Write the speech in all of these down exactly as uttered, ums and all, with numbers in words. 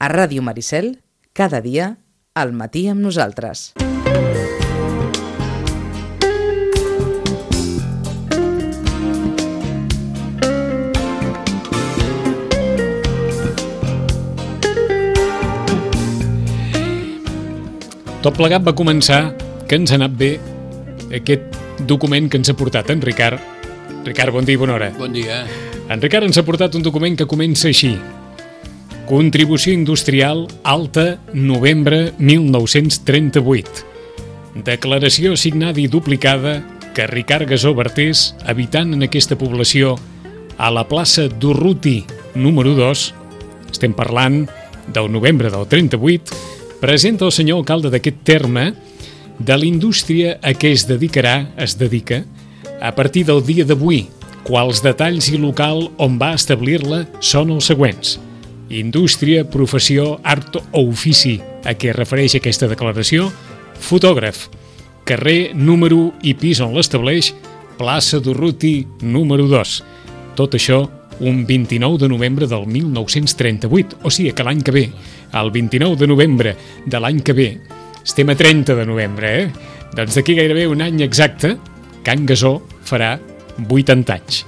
A Ràdio Maricel, cada dia, al matí amb nosaltres. Tot plegat va començar que ens ha anat bé aquest document que ens ha portat en Ricard. Ricard, bon dia i bona hora. Bon dia. En Ricard ens ha portat un document que comença així. Contribució industrial alta, novembre mil nou-cents trenta-vuit. Declaració signada i duplicada que Ricard Gasó Bertés, habitant en aquesta població a la plaça d'Urruti número dos, estem parlant del novembre del trenta-vuit, presenta el senyor alcalde d'aquest terme de la indústria a què es dedicarà, es dedica, a partir del dia d'avui, quals detalls i local on va establir-la són els següents. Indústria, professió, art o ofici a què es refereix aquesta declaració, fotògraf, carrer, número i pis on l'estableix, plaça d'Urruti número dos. Tot això un vint-i-nou de novembre del mil nou-cents trenta-vuit, o sigui que l'any que ve, el vint-i-nou de novembre de l'any que ve, estem a trenta de novembre, eh? Doncs d'aquí gairebé un any exacte, Can Gasó farà vuitanta anys.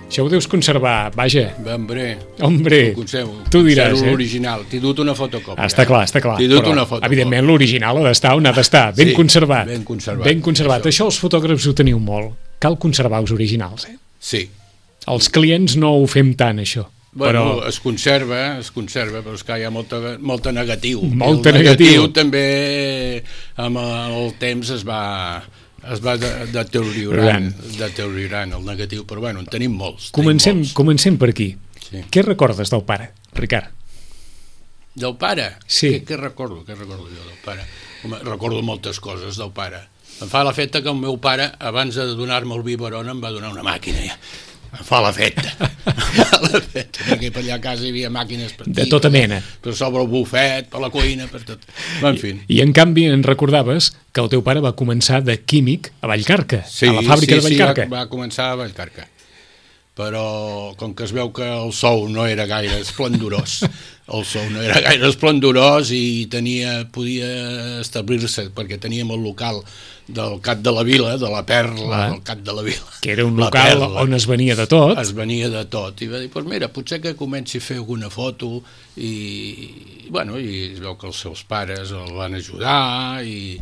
Això ho deus conservar, vaja. Hombre, Hombre, ho conservo. tu diràs, eh? L'original, t'he dut una fotocòpia. Està clar, està clar. T'he dut però, una fotocòpia. evidentment, l'original ha d'estar on ha d'estar, ben Sí, conservat. ben conservat. Ben conservat. Això. Això els fotògrafs ho teniu molt. Cal conservar els originals, eh? Sí. Els clients no ho fem tant, això. Bueno, però... es conserva, es conserva, però és que hi ha molta, molta negatiu. Molta el negatiu. negatiu també amb el temps es va, es va de- deteriorant, deteriorant el negatiu, però bueno, en tenim molts. Comencem, tenim molts. comencem per aquí. Sí. Què recordes del pare, Ricard? Del pare? Sí. Què, què recordo? Què recordo jo del pare? Home, recordo moltes coses del pare. Em fa l'efecte que el meu pare, abans de donar-me el biberon, em va donar una màquina. Ja. Em fa l'efecte. Em fa l'efecte, perquè per allà a casa hi havia màquines per De aquí, tota per, mena. per sobre el bufet, per la cuina, per tot. En fi. I en canvi en recordaves que el teu pare va començar de químic a Vallcarca, Sí, a la fàbrica sí, de Vallcarca. Sí, va, va començar a Vallcarca. Però com que es veu que el sou no era gaire esplendorós, el sou no era gaire esplendorós i tenia, podia establir-se, perquè teníem el local del Cap de la Vila, de la Perla, Ah. del Cap de la Vila. Que era un La local Perla. on es venia de tot. Es venia de tot, i va dir, pues mira, potser que comenci a fer alguna foto, i, bueno, i es veu que els seus pares el van ajudar, i,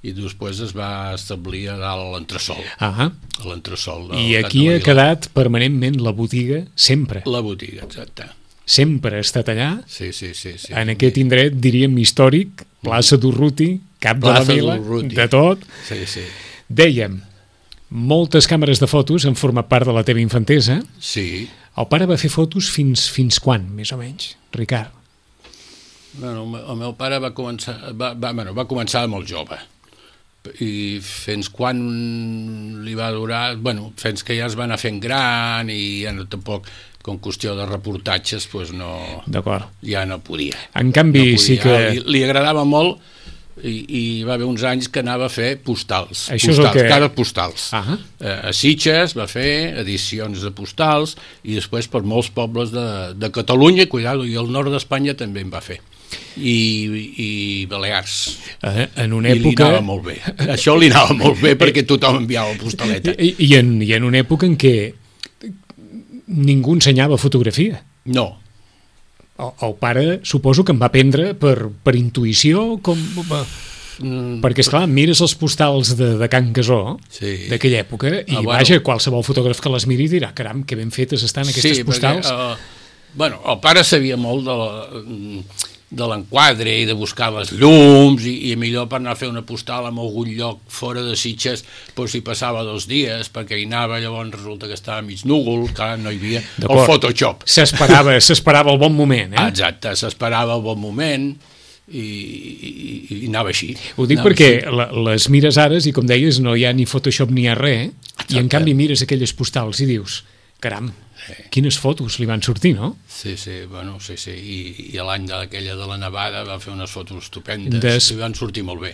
i després es va establir a dalt a l'entresol, Ah, a l'entresol del I Cap aquí de la ha Vila. quedat permanentment la botiga, sempre. La botiga, exacte. Sempre ha estat allà, Sí, sí, sí. sí. en aquest indret, diríem, històric, plaça d'Urruti, Cap de la Plaça Vila, d'Urruti. de tot. Sí, sí. Dèiem, moltes càmeres de fotos han format part de la teva infantesa. Sí. El pare va fer fotos fins fins quan, més o menys, Ricard? Bueno, el meu- el meu pare va començar, va, va, bueno, va començar molt jove, i fins quan li va durar, bueno, fins que ja es va anar fent gran i ja no tampoc, com qüestió de reportatges, pues no, D'acord. ja no podia. En canvi, no podia. sí que... Li, li agradava molt i, i va haver uns anys que anava a fer postals, Això és el postals que- cares postals. Ah. Eh, a Sitges va fer edicions de postals i després per molts pobles de, de Catalunya, cuidado, i el nord d'Espanya també en va fer. I, i Balears. Eh, en una I li època... anava molt bé. Això li anava molt bé perquè tothom enviava postaleta. I, i, en, I en una època en què ningú ensenyava fotografia. No, El, el pare suposo que em va aprendre per, per intuïció, com... mm, Perquè, esclar, mires els postals de, de Can Gasó, Sí. d'aquella època, i Ah, bueno. vaja, qualsevol fotògraf que les miri dirà, caram, que ben fetes estan aquestes sí, postals. Perquè, uh, bueno, el pare sabia molt de la, de l'enquadre i de buscar les llums i, i millor per anar a fer una postal en algun lloc fora de Sitges, doncs hi passava dos dies perquè hi anava, llavors resulta que estava mig núvol, que no hi havia el D'acord. Photoshop. S'esperava s'esperava el bon moment, eh? Exacte, s'esperava el bon moment i, i, i anava així. Ho dic anava perquè així. la, les mires ara i, com deies, no hi ha ni Photoshop ni hi ha res, i en Exacte. canvi mires aquelles postals i dius, caram, quines fotos li van sortir, no? Sí, sí, bueno, sí, sí, i, i l'any d'aquella de la nevada va fer unes fotos estupendes, Des- i van sortir molt bé.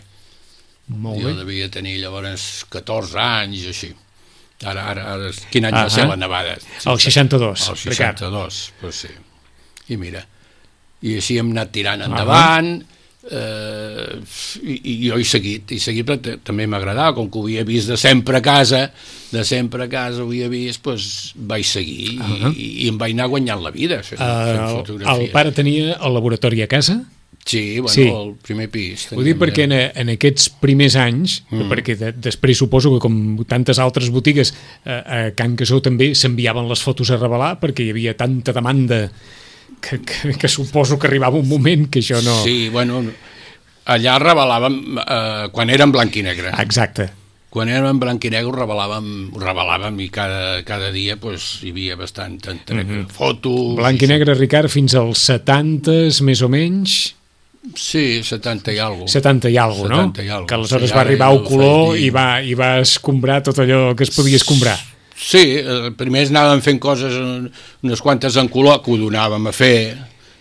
Molt Jo bé. devia tenir llavors catorze anys, així. Ara, ara, ara quin any Ah, va ser ah. la nevada? El seixanta-dos, El Ricard. seixanta-dos, pues sí. I mira, i així hem anat tirant endavant, eh, i, i jo he seguit, he seguit perquè també m'agradava, com que ho havia vist de sempre a casa, de sempre a casa ho havia vist, doncs vaig seguir uh -huh. i, i em vaig anar guanyant la vida fent, uh, fent fotografies. El pare tenia el laboratori a casa? Sí, bueno, sí. El primer pis. Ho dic perquè en, en aquests primers anys, mm. perquè de, després suposo que com tantes altres botigues eh, a Can Casó també s'enviaven les fotos a revelar perquè hi havia tanta demanda que, que, que suposo que arribava un moment que això no... Sí, bueno, allà revelàvem eh, quan era en blanc i negre. Exacte. Quan érem en blanc i negre ho revelàvem, ho revelàvem i cada, cada dia pues, hi havia bastant entre mm -hmm. fotos... Blanc i negre, Ricard, fins als setantes, més o menys... Sí, setanta i alguna cosa. setanta i alguna cosa, no? setanta i alguna cosa. Que aleshores sí, va arribar el color i va, i va escombrar tot allò que es podia escombrar. Sí, eh, primer anàvem fent coses, unes quantes en color, que ho donàvem a fer,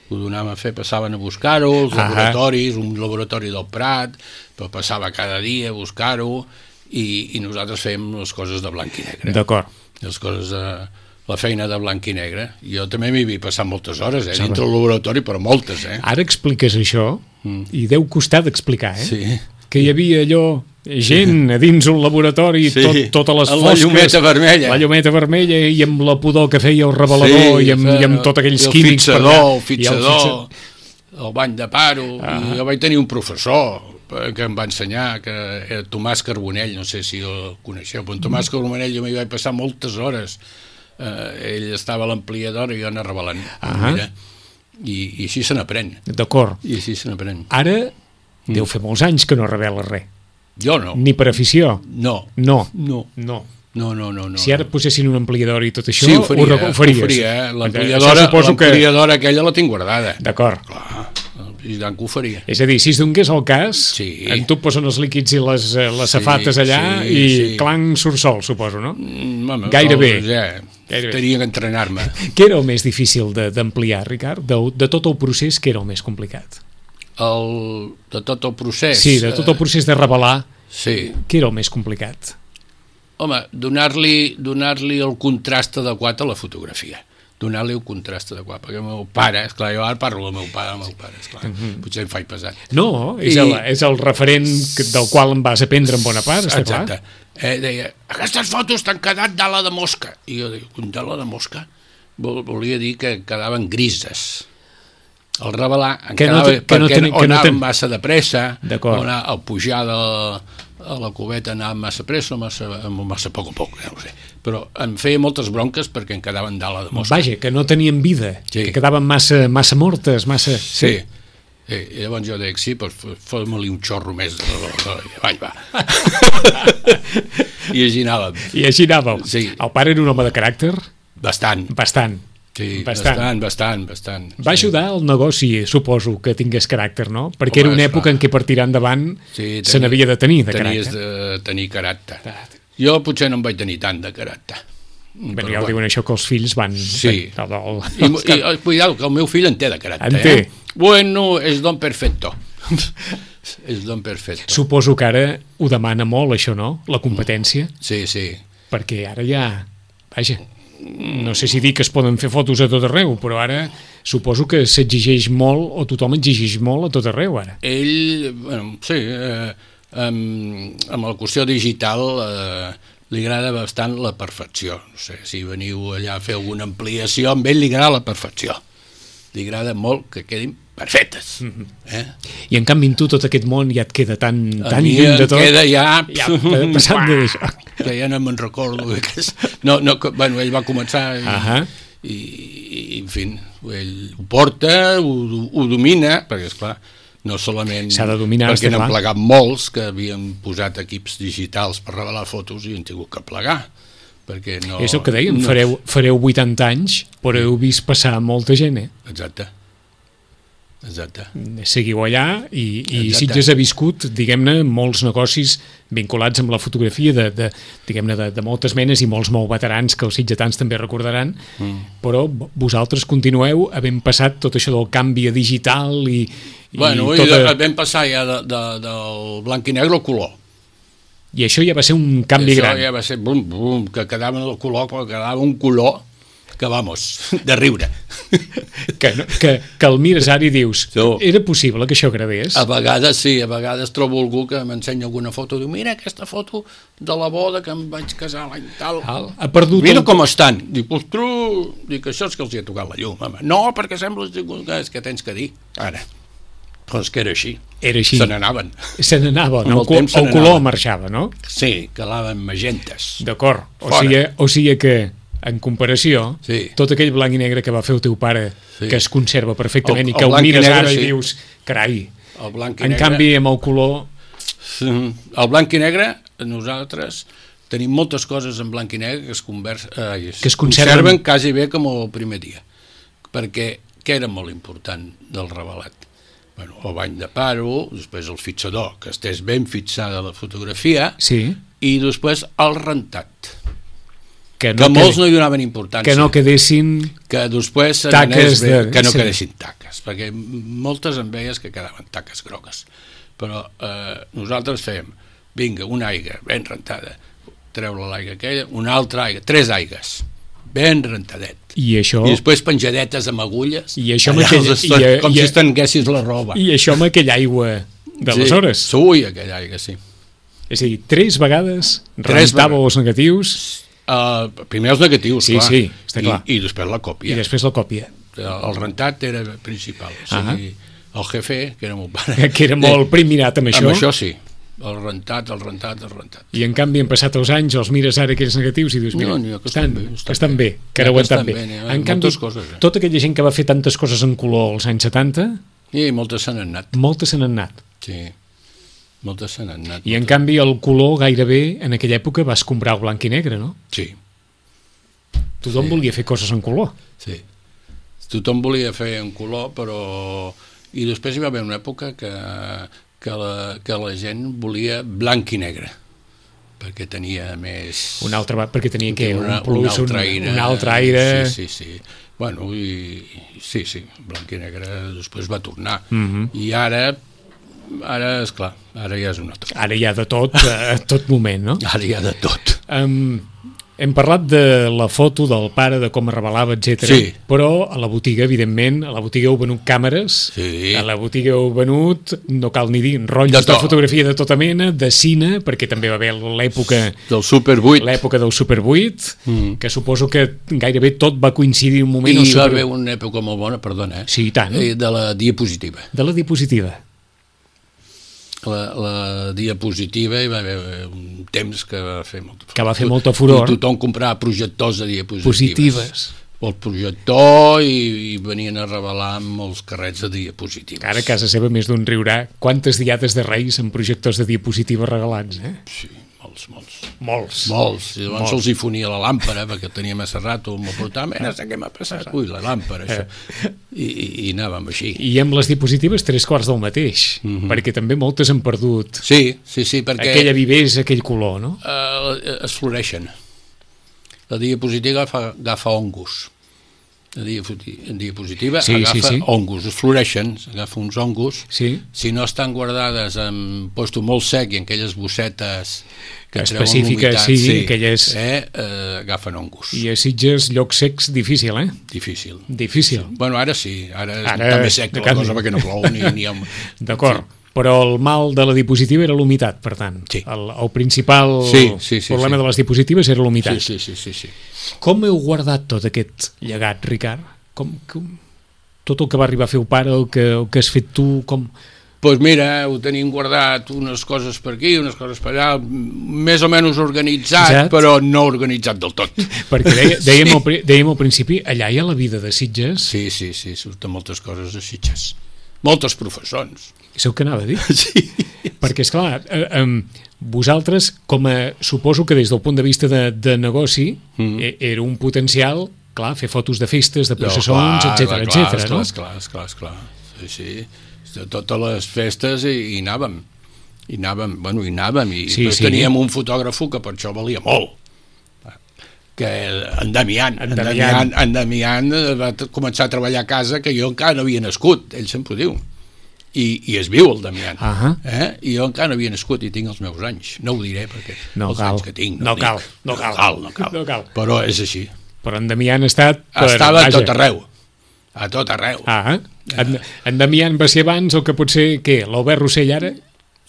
ho donàvem a fer, passaven a buscar-ho, els laboratoris, un laboratori del Prat, però passava cada dia a buscar-ho, i, i nosaltres fèiem les coses de blanc i negre. D'acord. Les coses de... la feina de blanc i negre. Jo també m'hi havia passat moltes hores, eh, dintre del laboratori, però moltes, eh. Ara expliques això, mm. i deu costar d'explicar, eh? Sí. Que hi havia allò, gent a dins un laboratori, sí. tot, totes les fosques... La llumeta vermella. La llumeta vermella, i amb la pudor que feia el revelador, sí, i, amb, i amb tot aquells el químics... Fixador, el fixador, el fixador, el bany de paro... Ah. I jo vaig tenir un professor que em va ensenyar, que era Tomàs Carbonell, no sé si el coneixeu, però en Tomàs Carbonell jo m'hi vaig passar moltes hores. Uh, ell estava a l'ampliadora i jo anava revelant. Uh -huh. Mira, i, i així se n'aprèn. D'acord. I així se n'aprèn. Ara mm. deu fer molts anys que no revela res. Jo no. Ni per afició? No. No. No. No. No, no, no, no. Si ara posessin un ampliador i tot això, sí, ho faria, ho, ho faries. Ho faria, eh? L'ampliadora que... aquella la tinc guardada. D'acord. Clar, i tant que ho faria. És a dir, si es donés el cas, sí. en tu posen els líquids i les, les safates sí, allà sí, i sí. clang surt sol, suposo, no? Mm, home, Gairebé. Ja, Gairebé. Tenia que entrenar-me. Què era el més difícil d'ampliar, Ricard? De, de tot el procés, què era el més complicat? El, de tot el procés? Sí, de tot el procés de revelar, sí. Què era el més complicat? Home, donar-li donar-li el contrast adequat a la fotografia. Donar-li el contrast adequat, perquè el meu pare, esclar, jo ara parlo del meu pare, el meu pare, esclar, uh -huh. potser em faig pesat. No, és, I... el, és el referent del qual em vas aprendre en bona part, està Exacte. clar. Eh, deia, aquestes fotos t'han quedat d'ala de mosca. I jo dic, d'ala de mosca? Vol, volia dir que quedaven grises. El revelar en que quedava, no te, que perquè no ten, o que no anàvem ten... massa de pressa, o anar, al pujar de, a la cubeta anàvem massa pressa o massa, massa poc a poc, ja no sé. Però em feia moltes bronques perquè em quedaven d'ala de mosca. Vaja, que no tenien vida, sí. Que quedaven massa, massa mortes, massa... Sí, sí. I llavors jo dic, sí, doncs fos-me-li un xorro més de... Vaig, va. I així anàvem. I així anàvem. Sí. El pare era un home de caràcter? Bastant. Bastant. Sí, bastant, bastant, bastant. bastant Va sí. ajudar al negoci, suposo, que tingués caràcter, no? Perquè Home, era una època clar. en què per tirar endavant sí, se n'havia de tenir, de tenies caràcter. Tenies de tenir caràcter. Jo potser no en vaig tenir tant de caràcter. Bé, ja ho diuen això, que els fills van... Sí. El, el, el, I, i, cuidado, que el meu fill en té de caràcter. En té. Eh? Bueno, és don perfecto. És don perfecto. Suposo que ara ho demana molt, això, no? La competència. Sí, sí. Perquè ara ja... Vaja... no sé si dir que es poden fer fotos a tot arreu, però ara suposo que s'exigeix molt, o tothom exigeix molt a tot arreu ara. Ell, bueno, sí, eh, amb, amb la qüestió digital eh, li agrada bastant la perfecció. No sé, si veniu allà a fer alguna ampliació, amb ell li agrada la perfecció. Li agrada molt que quedin perfectes. Mm-hmm. eh? I en canvi en tu tot aquest món ja et queda tan, tan lluny de tot. A mi em queda ja... ja passant d'això. Que ja no me'n recordo. Que és... no, no, que, bueno, ell va començar i, uh -huh. i, i, en fi, ell ho porta, ho, ho domina, perquè, esclar, no solament... S'ha de dominar, perquè n'han plegat molts que havien posat equips digitals per revelar fotos i han tingut que plegar. Perquè no... És el que deien, no... fareu, fareu vuitanta anys, però heu vist passar molta gent, eh? Exacte. Exacte. Seguiu allà i, i Sitges ha viscut, diguem-ne, molts negocis vinculats amb la fotografia de, de, diguem-ne, de, de moltes menes i molts molt veterans que els sitgetans també recordaran, mm. però vosaltres continueu havent passat tot això del canvi a digital i... i bueno, tota... i vam passar ja de, de, del blanc i negre al color. I això ja va ser un canvi això gran. Això ja va ser bum, bum, que quedava el color, però quedava un color que vamos, de riure. Que, no, que, que el mires ara i dius, No. era possible que això agradés? A vegades sí, a vegades trobo algú que m'ensenya alguna foto, diu, mira aquesta foto de la boda que em vaig casar l'any tal. Tal. Ha perdut Mira el- com estan. Dic, ostres, dic, això és que els hi ha tocat la llum, home. No, perquè sembla que és que tens que dir. Ara, però és que era així. Era així. Se n'anaven. Se n'anava, Amb no? el temps se El color n'anava. marxava, no? Sí, calaven magentes. D'acord. O Fora. sigui, o sigui que, en comparació, Sí. tot aquell blanc i negre que va fer el teu pare, Sí. que es conserva perfectament El- i que el el, blanc i mires negre, ara sí. i dius, carai, El blanc i en negre... canvi amb el color... El blanc i negre, nosaltres tenim moltes coses en blanc i negre que es, convers, eh, Que es conserven. conserven quasi bé com el primer dia. Perquè què era molt important del revelat? Bueno, el bany de paro, després el fixador, que estés ben fixada la fotografia, Sí, i després el rentat, que que no, molts quedi- no hi donaven importància. que no quedessin... que després se Taques n'anés bé, de- que no sí. quedessin taques, perquè moltes en veies que quedaven taques grogues, però eh, nosaltres fèiem, vinga, una aigua ben rentada, treure l'aigua aquella, una altra aigua, tres aigues, ben rentadet, I això, i després penjadetes amb agulles, I això amb allà aquella- als estoig, i, eh, com i, si estenguessis la roba. I això amb aquella aigua d'aleshores. Sí, ui, aquella aigua, sí. És a dir, tres vegades Tres rentava vegades. els negatius Uh, primer els negatius, Sí, clar, sí, està clar. I, i després la i còpia. després la còpia, El rentat era principal, o sigui, el jefe, que era meu pare, que era molt primirat amb això. amb això sí, el rentat, el rentat, el rentat. I en canvi han passat els anys, els mires ara aquells negatius i dius, mira, No, n'hi ha que estan, estan bé, estan estan bé, bé. que N'hi ha ara ho que estan estan bé. bé, n'hi ha En canvi, moltes coses, eh? tota aquella gent que va fer tantes coses en color als anys setanta, I moltes se n'han anat, moltes se n'han anat. sí, moltes se n'han anat. I en moltes. canvi el color gairebé en aquella època va escombrar el blanc i negre, no? Sí, Tothom Sí. volia fer coses en color. sí. Tothom volia fer en color, però... I després hi va haver una època que, que, la, que la gent volia blanc i negre, perquè tenia més... Un altre, va- perquè tenia que un una, plus, un altre un, aire, un altre aire... sí, sí, sí. Bueno, i, sí, sí, blanc i negre després va tornar, Mhm. i ara ara, esclar, ara ja és un altre, Ara hi ha de tot, a tot moment, no? ara hi ha de tot. Um, hem parlat de la foto del pare, de com es revelava, etcètera. Sí. Però a la botiga, evidentment, a la botiga heu venut càmeres, Sí. a la botiga heu venut, no cal ni dir, rotllos De de, tot. fotografia de tota mena, de cine, perquè també va haver l'època Del Super vuit, l'època del Super vuit, Mm. que suposo que gairebé tot va coincidir un moment... i al va Super... haver una època molt bona, perdona, eh? Sí, i tant. Eh, de la diapositiva. De la diapositiva. La, la diapositiva hi va haver un temps que va fer molta furor. Que va fer molta furor. I tothom comprava projectors de diapositives. Positives. El projector i, i venien a revelar amb els carrets de diapositives. Ara a casa seva més d'un riurà. Quantes diades de Reis amb projectors de diapositiva regalats, eh? Sí, molts, molts. Molts. Molts. I llavors Molts. se'ls hi fonia la làmpara, perquè tenia massa rato, m'ho portava, mira, sé què m'ha passat. Ui, la làmpara, això. I, i, i anàvem així. I amb les diapositives tres quarts del mateix, Mhm. perquè també moltes han perdut Sí, sí, sí, perquè aquella vivesa, aquell color, no? eh, es floreixen. La diapositiva agafa, agafa ongus. La diapositiva, diapositiva Sí, sí, agafa sí. ongus, es floreixen, agafa uns ongus. Sí, Si no estan guardades en puesto molt sec i en aquelles bossetes que treuen específiques, l'humitat, sí, aquelles... eh, eh, agafen ongus. I a Sitges, llocs secs, difícil, eh? Difícil. Difícil. Bueno, ara sí, ara, Ara, ara també sec de la cap- cosa perquè no plou ni, ni ha... D'acord. Però el mal de la diapositiva era l'humitat, per tant. Sí. El, el principal Sí, sí, sí, problema sí. de les diapositives era l'humitat. Sí, sí, sí, sí, sí. Com heu guardat tot aquest llegat, Ricard? Com, com, tot el que va arribar a fer el pare, el que, el que has fet tu, com... Doncs pues mira, ho tenim guardat, unes coses per aquí, unes coses per allà, més o menys organitzat, Exacte. però no organitzat del tot. Perquè deia, dèiem, al, pri- dèiem al principi, allà hi ha la vida de Sitges. Sí, sí, sí, surten moltes coses de Sitges. Moltes professons. Això que anava a dir. Sí. Perquè, esclar, eh, eh, vosaltres, com a, suposo que des del punt de vista de, de negoci, Mm. eh, era un potencial, clar, fer fotos de festes, de No, processons, clar, etcètera, clar, etcètera, no? Esclar, esclar, esclar. Sí, sí. De totes les festes i, i anàvem. I anàvem, bueno, i anàvem. I Sí, sí, sí. teníem un fotògrafo que per això valia molt. Que en Damián, En en Damián. Damián, en Damián va t- començar a treballar a casa que jo encara no havia nascut, ell sempre ho diu. I, i es viu el Damián. Ahà. Eh? I jo encara no havia nascut i tinc els meus anys. No ho diré perquè No els cal. anys que tinc No dic. cal, no cal. no cal, no cal. No cal. Però és així. Però en Damián ha estat... Per, Estava vaja. a tot arreu. A tot arreu. Ah, en, en Damián va ser abans el que potser, què, l'Albert Rossell ara?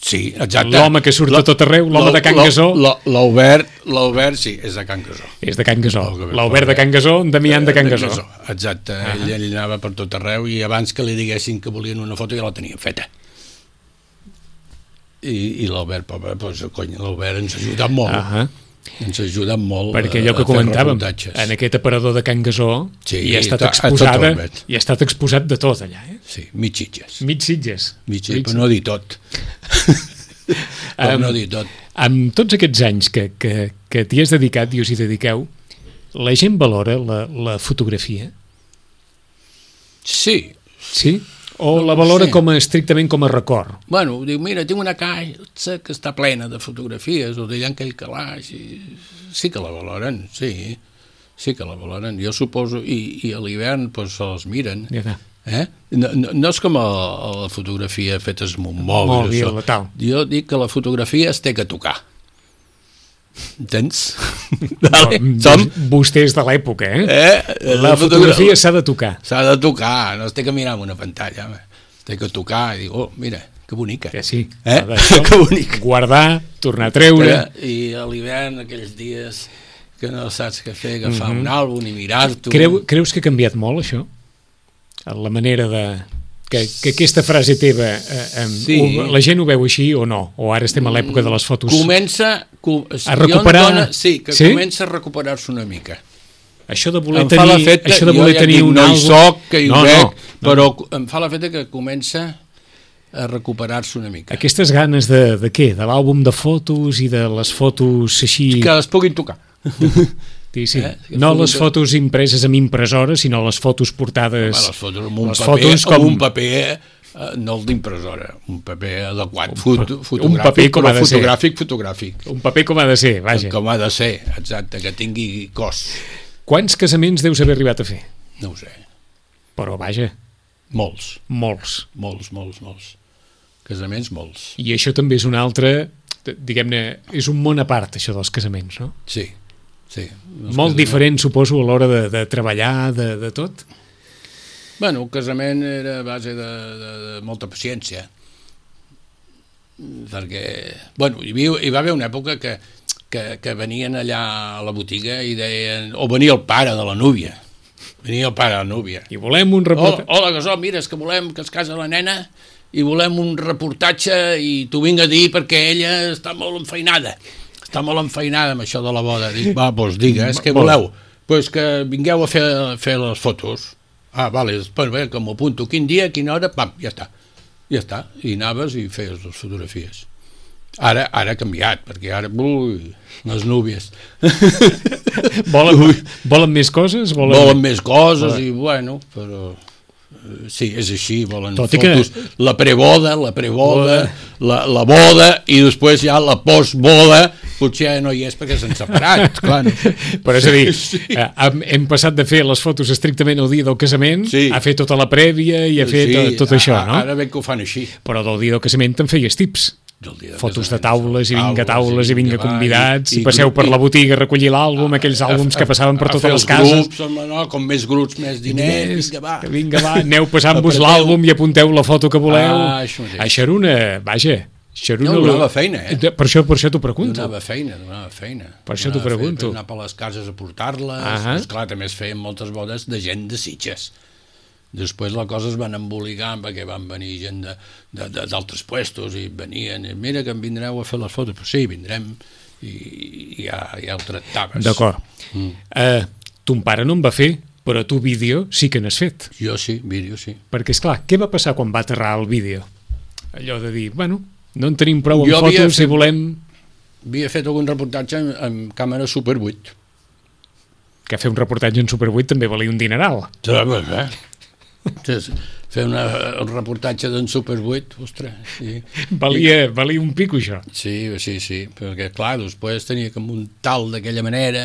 Sí, exacte. L'home que surt a tot arreu, l'home de Can Gasó. L'Albert, l'Albert, sí, és de Can Gasó. És de Can Gasó. L'Albert de Can Gasó, en Damián de Can Gasó. Exacte, ah. ell, ell anava per tot arreu i abans que li diguessin que volien una foto ja la tenien feta. I, i l'Albert, pobre, doncs, cony, l'Albert ens ha ajudat molt. Ah. Ens ha ajudat molt. Perquè allò que comentàvem, en aquest aparador de Can Gasó sí, hi ha estat exposada, hi ha estat exposat de tot allà, eh? Sí, mig Sitges. Mig Sitges. Mig Sitges, per no dir tot. Per no dir tot. Amb tots aquests anys que, que, que t'hi has dedicat i us hi dediqueu, la gent valora la, la fotografia? Sí. Sí? O no la valora com a, estrictament com a record? Bueno, diu, mira, tinc una caixa que està plena de fotografies, o d'allà en aquell calaix, i... sí que la valoren, sí, sí que la valoren, jo suposo, i, i a l'hivern pues, se les miren. Ja eh? no, no, no és com a, a la fotografia feta amb un mòbil, mòbil tal. Jo dic que la fotografia es té que tocar. Entens? Vale. Som vostès de l'època, eh? eh? La fotografia s'ha de tocar. S'ha de tocar, no es té que mirar en una pantalla, home. Es té que tocar i dir, oh, mira, que bonica. Que sí, eh? Que bonica. Guardar, tornar a treure. I a l'hivern, aquells dies que no saps què fer, agafar mm-hmm. un àlbum i mirar-t'ho. Creu, creus que ha canviat molt, això? La manera de... Que, que aquesta frase teva, eh, eh, sí. o, la gent ho veu així o no? O ara estem a l'època de les fotos? Comença com, a recuperar... Dona, sí, que sí? comença a recuperar-se una mica. Això de voler em tenir, feta, això de voler ja tenir dic, un no àlbum... No hi soc, que hi no, veig, no, no. però em fa la feta que comença a recuperar-se una mica. Aquestes ganes de, de què? De l'àlbum de fotos i de les fotos així... Que les puguin tocar. Sí, sí. Eh? No les fotos impreses amb impressora, sinó les fotos portades... Home, les fotos amb un les paper, fotos com... un paper eh, no el d'impressora, un paper adequat, un, foto, fotogràfic, un paper com ha de fotogràfic, ser. fotogràfic. Un paper com ha de ser, vaja. Com ha de ser, exacte, que tingui cos. Quants casaments deus haver arribat a fer? No ho sé. Però, vaja. Molts. Molts. Molts, molts, molts. Casaments, molts. I això també és un altre, diguem-ne, és un món a part, això dels casaments, no? Sí. Sí, molt diferent, suposo, a l'hora de, de treballar, de, de tot? Bueno, el casament era a base de, de, de molta paciència. Perquè, bueno, hi, havia, hi va haver una època que, que, que venien allà a la botiga i deien... O venia el pare de la núvia. Venia el pare de la núvia. I volem un reportatge... Hola, hola Gasó, mira, és que volem que es casa la nena i volem un reportatge i t'ho vinc a dir perquè ella està molt enfeinada. Està molt enfeinada amb això de la boda. Dic, va, doncs digues, què voleu? Doncs pues que vingueu a fer, a fer les fotos. Ah, vale, doncs bé, que m'ho apunto. Quin dia, quina hora, pam, ja està. Ja està. I anaves i feies les fotografies. Ara, ara ha canviat, perquè ara, ui, les núvies. volen, volen més coses? Volen, volen més coses i, bueno, però... Sí, és així, volen Tot fotos, que... la preboda, la preboda, la, la boda i després ja la postboda, potser ja no hi és perquè s'han separat, clar. Però és a dir, sí. hem, hem passat de fer les fotos estrictament el dia del casament sí. a fer tota la prèvia i a fer sí, tot, tot això, no? Ara veig que ho fan així. Però del dia del casament te'n feies tips. Fotos de taules i vinga taules i vinga convidats i, i passeu per la botiga a recollir l'àlbum, aquells àlbums que passaven per totes les cases. Grups, no, com més grups, més diners, vinga va. Vinga va, aneu passant-vos l'àlbum i apunteu la foto que voleu. Ah, això, això era una... Vaja, això era una... No, donava feina, eh? Per això, per això t'ho pregunto. Donava feina, donava feina. Per això t'ho pregunto. Anar per les cases a portar-les. Uh-huh. Esclar, també es feien moltes bodes de gent de Sitges. Després la cosa es van embolicar perquè van venir gent d'altres puestos i venien, i mira que em vindreu a fer les fotos, però sí, vindrem i, i ja, ja ho tractaves. D'acord. Mm. Uh, ton pare no en va fer, però tu vídeo sí que n'has fet. Jo sí, vídeo sí. Perquè, esclar, què va passar quan va aterrar el vídeo? Allò de dir, bueno, no en tenim prou amb fotos fet, i volem... Havia fet algun reportatge amb, amb càmera Super vuit. Que fer un reportatge en Super vuit també valia un dineral. Sabes, eh? Fer una, un reportatge d'en Super vuit, ostres, sí. Valia, valia un pico, això. Sí, sí, sí, perquè, clar, després tenia que muntar-lo d'aquella manera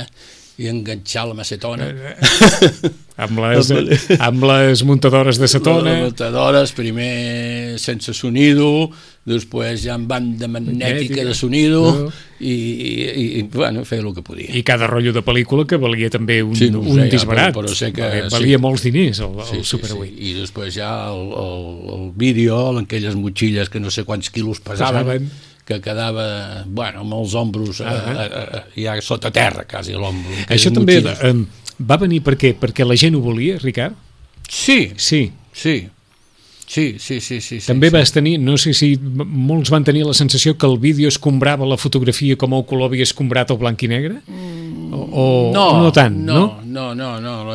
i enganxar la macetona. amb, les, amb les muntadores de cetona. Les muntadores, primer sense sonido, després ja en banda magnètica de sonido, no. i, i, i bueno, feia el que podia. I cada rotllo de pel·lícula que valia també un, sí, no un sé, disbarat. Però, però sé que, valia sí. molts diners el, el sí, Super sí, vuit. sí. I després ja el, el, el vídeo, en aquelles motxilles que no sé quants quilos pesaven, pesaven. que quedava, bueno, amb els ombros uh -huh. a, a, a, ja sota terra, quasi l'ombro. Això també eh, va venir per què? Perquè la gent ho volia, Ricard? Sí, sí, sí. Sí, sí, sí, sí. També sí, vas tenir, no sé si molts van tenir la sensació que el vídeo escombrava la fotografia com el color havia escombrat el blanc i negre? O, o no, no tant, no? No, no, no, no.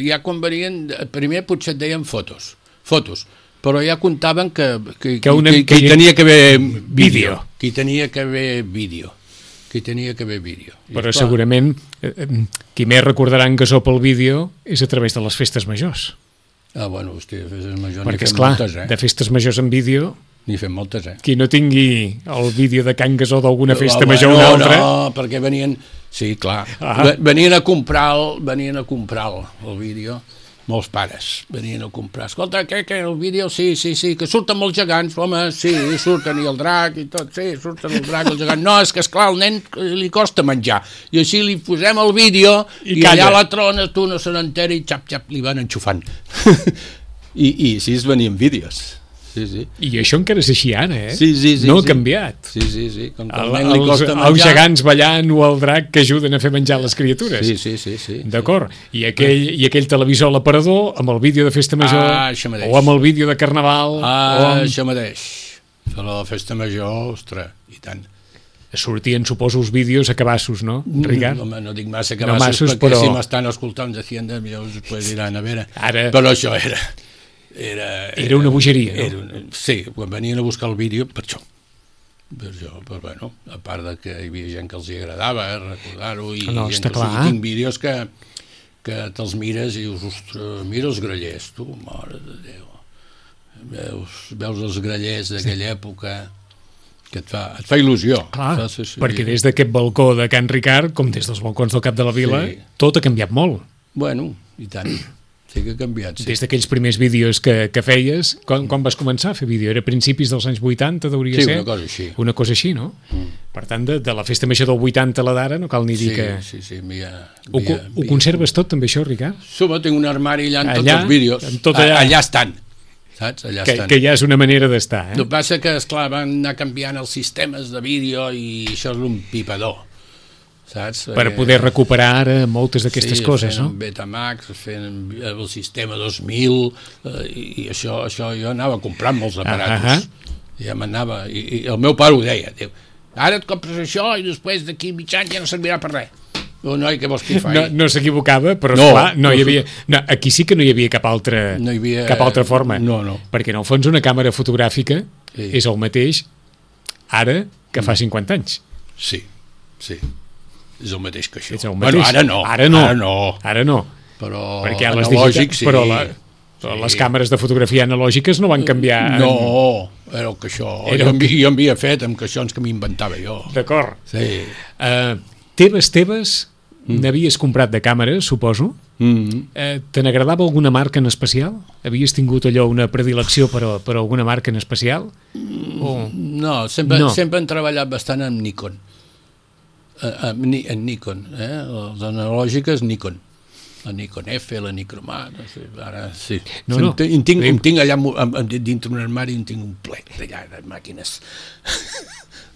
Ja quan venien, primer potser et deien fotos, fotos, però ja comptaven que, que, que, una, que, que, que hi tenia que haver vídeo, que hi tenia que haver vídeo, que hi tenia que haver vídeo. Però segurament eh, qui més recordarà en Gasó pel vídeo és a través de les festes majors. Ah, bueno, hòstia, festes majors perquè, esclar, moltes, eh? De festes majors en vídeo... N'hi fem moltes, eh? Qui no tingui el vídeo de Can Gasó d'alguna festa oh, major o bueno, una altra... No, perquè venien... Sí, clar. Ah. Venien a comprar el, venien a comprar el, el vídeo, molts pares venien a comprar. Escolta, què, què, el vídeo? Sí, sí, sí, que surten molts gegants, home, sí, surten i el drac i tot, sí, surten el drac i el gegant. No, és que, esclar, al nen li costa menjar. I així li posem el vídeo i, i allà la trona, tu no se n'entera i xap, xap, li van enxufant. I, I així es venien vídeos. Sí, sí. I això encara és així ara, eh? Sí, sí, sí. No ha sí. canviat. Sí, sí, sí. Com que el, el nen li costa menjar... Els gegants ballant o el drac que ajuden a fer menjar les criatures. Sí, sí, sí. sí D'acord. I, aquell, I aquell televisor a l'aparador amb el vídeo de festa major ah, o amb el vídeo de carnaval. Ah, o amb... això mateix. Per la festa major, ostres, i tant. Sortien, suposo, els vídeos a cabassos, no, Ricard? No, no dic massa cabassos, no massos, perquè però... si m'estan escoltant de Hacienda, millor us pues, diran, a veure. Ara... Però això era... Era, era una bogeria, no? Era una, sí, quan venien a buscar el vídeo, per això. Per això, però bueno, a part de que hi havia gent que els hi agradava eh, recordar-ho, i no, gent que clar. tinc vídeos que, que te'ls mires i dius, ostres, mira els grallers, tu, mare de Déu. Veus, veus els grallers d'aquella sí. època que et fa, et fa il·lusió. Clar, fa, sí, sí, perquè des d'aquest balcó de Can Ricard, com des dels balcons del Cap de la Vila, sí. tot ha canviat molt. Bueno, i tant. Sí que ha canviat, sí. Des d'aquells primers vídeos que, que feies, quan, quan vas començar a fer vídeo? Era a principis dels anys vuitanta, hauria sí, ser? Sí, una cosa així. Una cosa així, no? Mm. Per tant, de, de la festa major del vuitanta a la d'ara, no cal ni dir sí, que... Sí, sí, via, ho, via, ho conserves tot, també, això, Ricard? Suma, tinc un armari allà amb allà, tots els vídeos. Tot allà. Allà estan. Saps? Allà que, estan. Que ja és una manera d'estar, eh? El que passa que, esclar, van anar canviant els sistemes de vídeo i això és un pipador. Saps? Per poder recuperar ara moltes d'aquestes sí, coses, no? Sí, fent Betamax, fent el sistema dos mil, eh, i, i això, això jo anava comprant molts aparatos. Ah, I ja m'anava, i, i el meu pare ho deia, diu, ara et compres això i després d'aquí mig any ja no servirà per res. Oh, noi, què vols que hi faci? No, no s'equivocava, però no, esclar, no, no hi havia... No, aquí sí que no hi havia cap altra, no hi havia, cap altra forma. No, no. Perquè, en el fons, una càmera fotogràfica sí. és el mateix ara que fa cinquanta anys. Sí, sí. És el mateix que això. És el mateix. Bueno, ara no. Ara no. Ara no. Ara no. Però perquè analògic, sí. Però, la, però sí. les càmeres de fotografia analògiques no van canviar... No, en... era el que això... Era... Jo, havia, jo havia fet amb caixons que m'inventava jo. D'acord. Sí. Uh, teves, teves, mm. n'havies comprat de càmeres, suposo. Mm. Uh, te n'agradava alguna marca en especial? Havies tingut allò, una predilecció per, per alguna marca en especial? Mm. O... No, sempre, no, sempre hem treballat bastant amb Nikon. Uh, en Nikon, eh? Les analògiques Nikon, la Nikon F, la Nikon A, no sé, ara sí. No, no. En tinc, en tinc allà dintre un armari, en tinc un ple d'allà de màquines,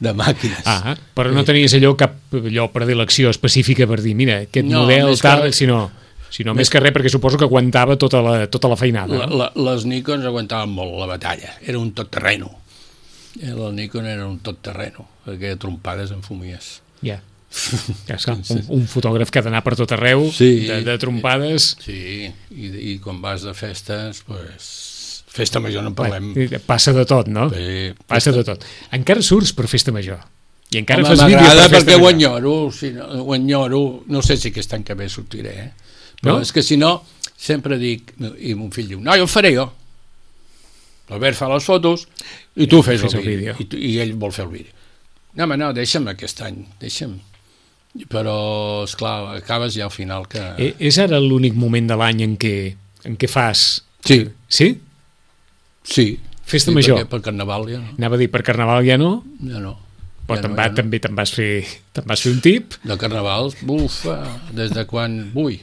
de màquines. Ah, però no tenies allò cap allò predilecció específica per dir, mira, aquest no, model tal, res, sinó, sinó més, més que res perquè suposo que aguantava tota la, tota la feinada. La, la, les Nikons aguantaven molt la batalla, era un tot terreno. La Nikon era un tot terreno, perquè trompades en fumies. Ja. Yeah. Un, un fotògraf que ha d'anar per tot arreu, sí, de, de trompades. Sí, i, i quan vas de festes, pues, festa major no en parlem. Passa de tot, no? Sí, passa de tot. Encara surts per festa major? I encara home, fas vídeo per festa major? Perquè ho enyoro, si no, ho enyoro, no sé si aquest any que ve sortiré, eh? Però no? És que si no, sempre dic, i mon fill diu, no, jo ho faré jo. L'Albert fa les fotos i tu fes el, el vídeo. I, tu, I ell vol fer el vídeo. No, home, no, deixa'm aquest any, deixa'm. Però, esclar, acabes ja al final que... Eh, és ara l'únic moment de l'any en què, en què fas... Sí. Sí? Sí. Festa sí, major. Perquè per Carnaval ja no. Anava a dir, per Carnaval ja no? Ja no. Però ja te'n no, va, ja no. també te'n vas, fer, te'n vas fer un tip? De Carnaval, bufa, des de quan... Ui,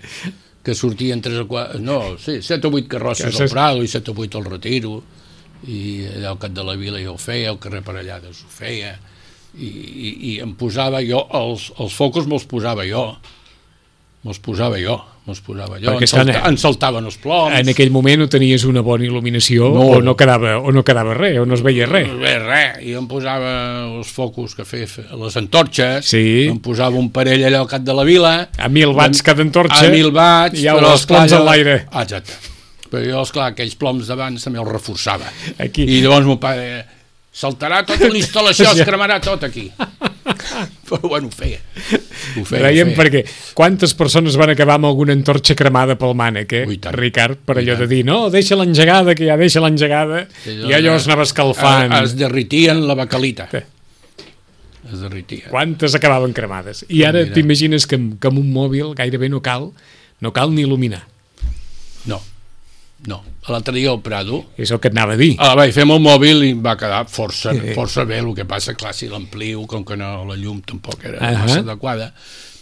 que sortien tres o quatre... No, sí, set o vuit carrosses Que al Prado i set o vuit al Retiro, i allà al Cap de la Vila jo ho feia, al carrer Parellades ho feia, i, i, i em posava jo, els, els focus me'ls posava jo, me'ls posava jo, me'ls posava jo, Perquè en, salta, estan, en saltaven els ploms. En aquell moment no tenies una bona il·luminació No. o no quedava, o no quedava res, o no es veia res. No es veia res, i em posava els focus que feia, les antorxes, Sí. em posava un parell allà al Cap de la Vila, A mil watts cada antorxa, a mil watts, i ja però, els esclar, ploms jo- a l'aire. Ah, exacte. Però jo, esclar, aquells ploms d'abans també els reforçava. Aquí. I llavors mon pare, saltarà tota la instal·lació, es cremarà tot aquí. Però bueno, ho feia. Ho feia, Dèiem ho feia. perquè quantes persones van acabar amb alguna antorxa cremada pel mànec, eh? Ui, tant. Ricard, per Ui, allò tant. de dir, no, deixa l'engegada, que ja deixa l'engegada, i allò es anava escalfant. Es derritien la bacalita. Sí. Es derritien. Quantes acabaven cremades? I ara Mira. t'imagines que, amb- que amb un mòbil gairebé no cal, no cal ni il·luminar. No, no. L'altre dia al Prado, És el que et anava a dir. ah, vaig fer amb el mòbil i em va quedar força, Sí. força bé. El que passa, clar, si l'amplio, com que no, la llum tampoc era Ahà. massa adequada,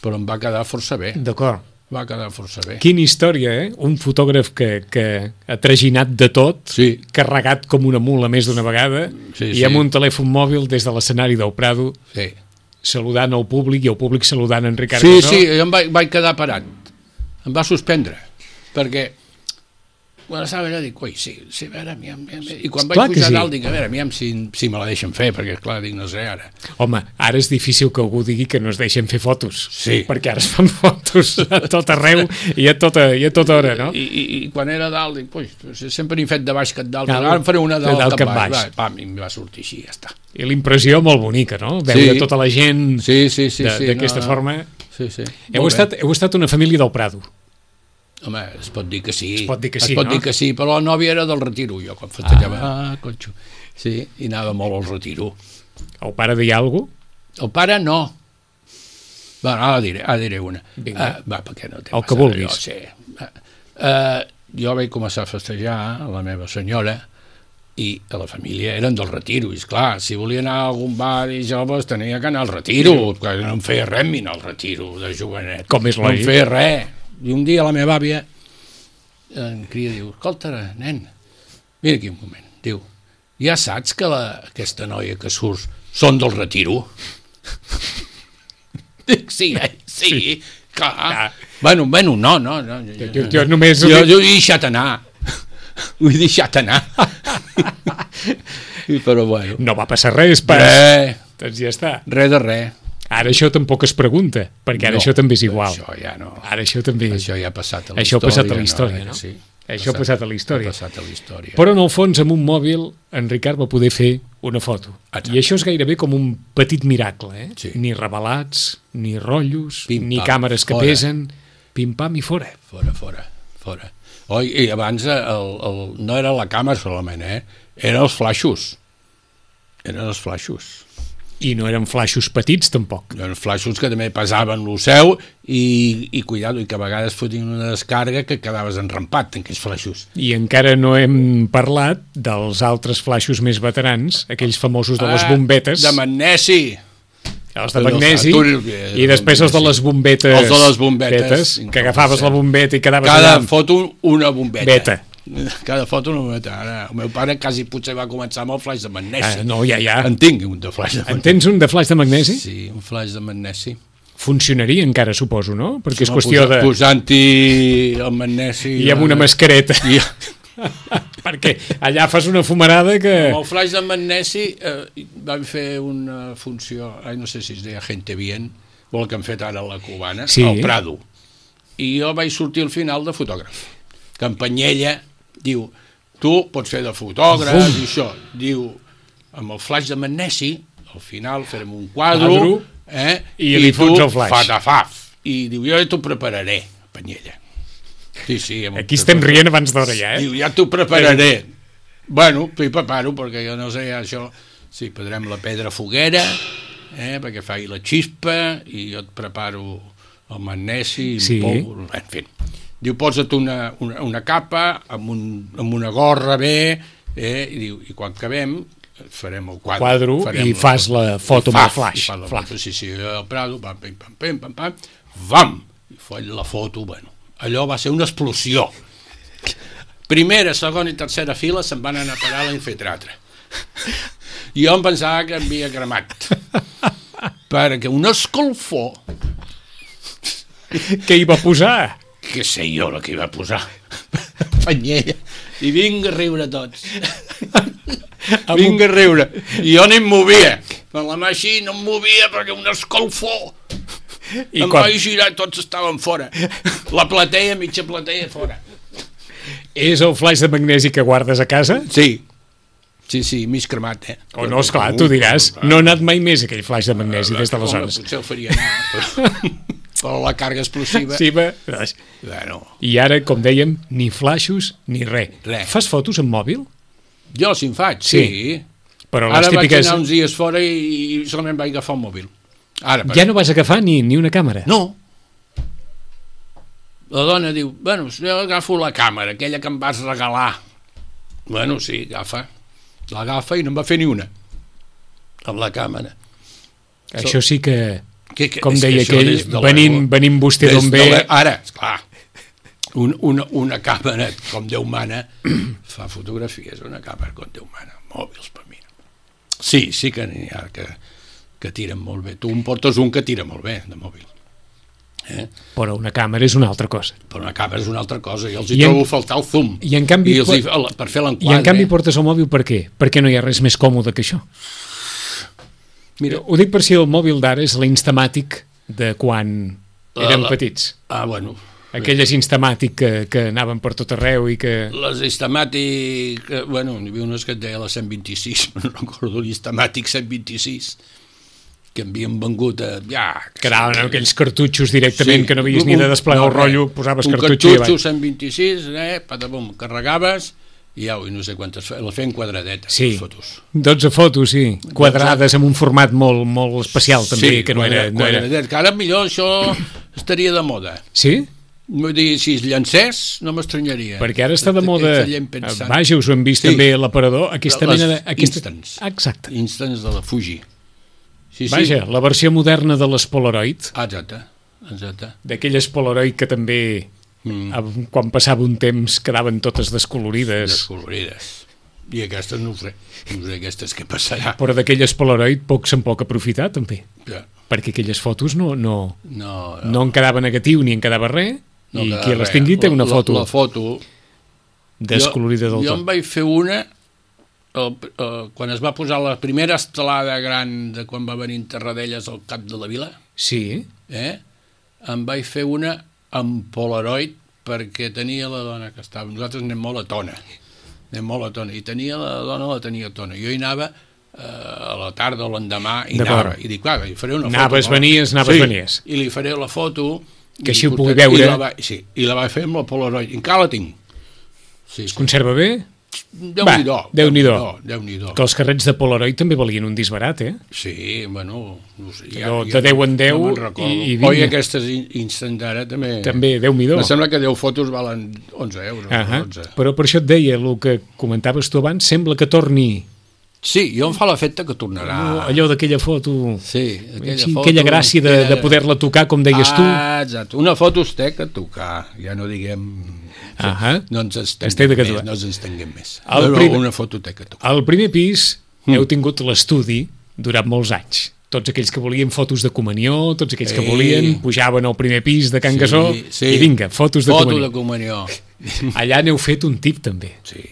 però em va quedar força bé. D'acord. Va quedar força bé. Quina història, eh? Un fotògraf que, que ha traginat de tot, Sí. carregat com una mula més d'una vegada, Sí, i sí. amb un telèfon mòbil des de l'escenari del Prado, Sí, saludant el públic i el públic saludant en Ricard sí, Casó. sí, jo em vaig, vaig quedar parat. Em va suspendre, perquè quan estava allà dic, ui, sí, sí, a veure, aviam, aviam, i quan Clar vaig que pujar sí. dalt dic, a veure, aviam si, si me la deixen fer, perquè clar, dic, no sé ara. Home, ara és difícil que algú digui que no es deixen fer fotos, Sí. perquè ara es fan fotos a tot arreu i a tota, i a tota hora, no? I, i, i quan era dalt dic, ui, sempre n'he fet de baix que de dalt, Cal- ara em faré una de de dalt, dalt cap cap baix. baix. Va, pam, i em va sortir així, ja està. I la impressió molt bonica, no? Veure Sí. tota la gent Sí, sí, sí. de- sí d'aquesta no, forma. Sí, sí. Heu Molt bé. estat, heu estat una família del Prado. Home, es pot dir que sí. Es pot dir que sí, es pot no? dir que sí, però la nòvia era del Retiro, jo quan festejava, ah, conxo. Sí, i anava molt al Retiro. El pare deia alguna cosa? El pare no. Va, ara diré, ara diré una. Vinga. Uh, va, perquè no té El massa que vulguis. allò, sí. Uh, jo vaig començar a festejar a la meva senyora i a la família eren del Retiro, i esclar, si volia anar a algun bar i joves tenia que anar al Retiro, que no em feia res mirar al Retiro de jovenet. Com és no em lògic. feia res. I un dia la meva àvia em crida, diu, escolta, nen, mira aquí un moment, diu, ja saps que la, aquesta noia que surts són del Retiro? Dic, sí, eh? sí, sí, clar. Ah. Bueno, bueno, no, no, no. Jo, Jo, jo només... jo, jo he deixat anar. Ho he deixat anar. I, però bueno. No va passar res, pas. Res, Doncs ja està. res de res. Ara això tampoc es pregunta, perquè ara No, això també és igual. Això ja no. Ara això també... Això ja ha passat a la Això ha història. passat a la història, no? Eh, Sí. Això ha passat a la història. Ha passat a la història. Però en el fons, amb un mòbil, en Ricard va poder fer una foto. Exacte. I això és gairebé com un petit miracle, eh? Sí. Ni revelats, ni rotllos, Pim, ni pam, càmeres que fora. pesen, pim-pam i fora. Fora, fora, fora. Oh, i abans el, el, no era la càmera solament, eh? Eren els flaixos. Eren els flaixos. I no eren flaixos petits, tampoc. Eren flaixos que també pesaven lo seu i, i cuidado, i que a vegades fotien una descàrrega que quedaves enrampat en aquells flaixos. I encara no hem parlat dels altres flaixos més veterans, aquells famosos de les bombetes. Ah, de magnesi. Els de magnesi, Tu- i després els de les bombetes. Els de les bombetes. que agafaves la bombeta i quedaves Cada allà. foto una bombeta. Beta. Cada foto una bombeta. Ara, el meu pare quasi potser va començar amb el flaix de magnesi. Ah, no, ja, ja. En tinc un de flaix de En magnesi. tens un de flaix de magnesi? Sí, un flaix de magnesi. Funcionaria encara, suposo, no? Perquè és Home, qüestió de... Posant-hi el magnesi... I amb una mascareta. I... Perquè allà fas una fumarada que... Amb el flaix de magnesi eh, vam fer una funció, ai, no sé si es deia Gente Bien, o el que han fet ara a la Cubana, Sí. al Prado. I jo vaig sortir al final de fotògraf. Campanyella diu, tu pots fer de fotògraf Bum. i això. Diu, amb el flaix de magnesi, al final farem un quadre, Quadro, eh, i li fots el flaix. fatafaf. I diu, jo ja t'ho prepararé, Campanyella. Sí, sí. Aquí estem rient abans d'hora ja, eh? Diu, ja t'ho prepararé. Bueno, t'ho preparo, perquè jo no sé, això... Sí, podrem la pedra foguera, eh, perquè faci la xispa i jo et preparo el magnesi, Sí. el pou, en fi. Diu, posa't una, una, una capa amb, un, amb una gorra bé, eh, i diu, i quan acabem farem el quadre. Quadro farem i fas la foto i amb el fas, flash. I fas la Flash. foto, sí, sí, al Prado, pam, pam, pam, pam, pam, pam, vam, i foll la foto, bueno, allò va ser una explosió. Primera, segona i tercera fila se'n van anar a parar a l'infetratre. Jo em pensava que havia cremat, perquè un escolfor, Què hi va posar? que sé jo la que hi va posar, panyella, i vinga a riure tots. Vinga a riure. I jo no em movia. Amb la mà així no em movia perquè un escolfor. I em quan- vaig girar, tots estaven fora. La platea, mitja platea fora. És el flaix de magnesi que guardes a casa? Sí. Sí, sí, mig cremat, eh? O no, esclar, tu diràs. No ha anat mai més aquell flaix de magnesi des d'aleshores. Home, potser el faria anar, però, però la càrrega explosiva... Sí, va. Bueno, I ara, com dèiem, ni flaixos ni res. Res. Fas fotos amb mòbil? jo si en faig, Sí. sí. Però les Ara vaig típiques... anar uns dies fora i, i solament vaig agafar el mòbil. Ara, Ja no vas agafar ni, ni una càmera? No. La dona diu, bueno, jo agafo la càmera, aquella que em vas regalar. Bueno, sí, agafa. L'agafa i no em va fer ni una. Amb la càmera. Això sí que, Que, que, com és que deia això aquell, des de la- venim, venim vostè des d'on de ve... la- Ara, esclar, un, una, una càmera com Déu mana fa fotografies, una càmera com Déu mana, mòbils per mi. Sí, sí que n'hi ha que, que tiren molt bé. Tu em portes un que tira molt bé, de mòbil. Eh? Però una càmera és una altra cosa. Però una càmera és una altra cosa, i els hi I en- trobo faltar el zoom. I en canvi, I els hi, por- per fer I l'enquadre. en canvi portes el mòbil per què? Perquè no hi ha res més còmode que això. Mira, Ho dic per si el mòbil d'ara és l'Instamatic de quan érem la- petits. ah, bueno, Aquelles Instamatic que, que anaven per tot arreu i que... les Instamatic, eh, bueno, n'hi havia unes que et deia la cent vint-i-sis, no recordo l'Instamatic cent vint-i-sis, que havien vengut a... Ja, Que anaven amb aquells cartutxos directament, Sí, que no havies un- ni de desplegar no, el rotllo, res. posaves un cartutxo i cartutxo avall. cent vint-i-sis, eh, patabum, carregaves i au, i no sé quantes, fe- la feien quadradetes, Sí, les fotos. dotze fotos, sí, quadrades amb un format molt, molt especial també, Sí, que no era... No era... quadradet, que ara millor això estaria de moda. Sí? Vull dir, si es llancés, no m'estranyaria. Perquè ara està de moda, Aquesta gent pensant- vaja, us ho hem vist Sí. també a l'aparador, aquesta Les mena de... Aquesta... Instans. Exacte. Instants de la Fuji. Sí, sí. Vaja, la versió moderna de les Polaroid, Ah, exacte, exacte. d'aquelles Polaroid que també, Mm. mm. quan passava un temps, quedaven totes descolorides, Descolorides. I aquestes no ho sé. No sé aquestes què passarà. però d'aquelles Polaroid poc se'n pot aprofitar també, Ja. perquè aquelles fotos no, no, No, no en quedava negatiu ni en quedava res, no i queda qui les res. tingui té La- una la- foto La, foto... descolorida del jo, jo tot. em vaig fer una el, el, quan es va posar la primera estelada gran de quan va venir Terradellas al cap de la vila, Sí, eh? em vaig fer una amb Polaroid perquè tenia la dona que estava... Nosaltres anem molt a tona. Anem molt a tona. I tenia la dona, la tenia a tona. Jo hi anava eh, a la tarda o l'endemà i D'acord. anava. I dic, clar, li faré una Anaves, foto. no? venies, anaves, sí, venies. I li faré la foto... Que i així ho portaré- pugui veure. I la, va, sí, i la vaig fer amb la Polaroid. I encara la tinc. Sí, es sí. conserva bé? Déu-n'hi-do. Va, Déu-n'hi-do. Déu-n'hi-do. Que els carrets de Polaroid també valien un disbarat, eh? Sí, bueno... No sé, Allò de deu en deu no me'n recordo. i- i vinga. Oi, aquestes in- instant ara també... També, Déu-n'hi-do. Em sembla que deu fotos valen onze euros. Ahà. dotze. Però per això et deia, el que comentaves tu abans, sembla que torni Sí, jo em fa l'efecte que tornarà. allò, allò d'aquella foto, Sí, aquella, sí, foto, aquella gràcia de, de poder-la tocar, com deies tu. Ah, exacte. Una foto es té que tocar. Ja no diguem... Ahà. No ens Es té estenguem de que més. tocar. No ens estenguem més. El No, no, primer- una foto té que tocar. Al primer pis Mm. heu tingut l'estudi durant molts anys. Tots aquells que volien fotos de comunió, tots aquells que Ei. volien, pujaven al primer pis de Can Gasó sí. i vinga, fotos de Foto comunió. de comunió. Allà n'heu fet un tip també. Sí.